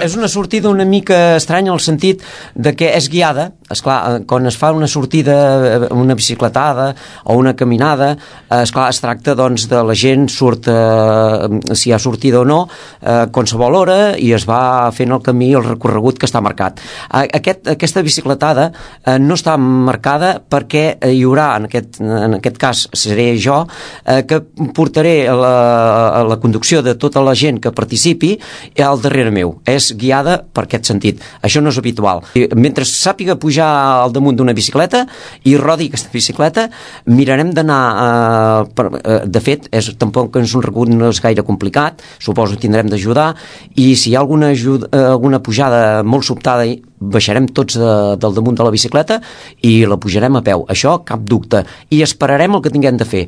És una sortida una mica estranya en el sentit de que és guiada. Esclar, quan es fa una sortida, una bicicletada o una caminada, esclar, es tracta doncs, de la gent surt, si hi ha sortida o no, qualsevol hora, i es va fent el camí, el recorregut que està marcat. Aquesta bicicletada no està marcada perquè hi haurà, en aquest cas seré jo, que portaré la conducció de tota la gent que participi al darrere meu. És guiada per aquest sentit. Això no és habitual. Mentre sàpiga pujar al damunt d'una bicicleta i rodi aquesta bicicleta, mirarem d'anar... de fet, tampoc és un recorregut, no és gaire complicat, suposo que tindrem d'ajudar, i si hi ha alguna pujada molt sobtada, baixarem tots del damunt de la bicicleta i la pujarem a peu. Això, cap dubte. I esperarem el que tinguem de fer.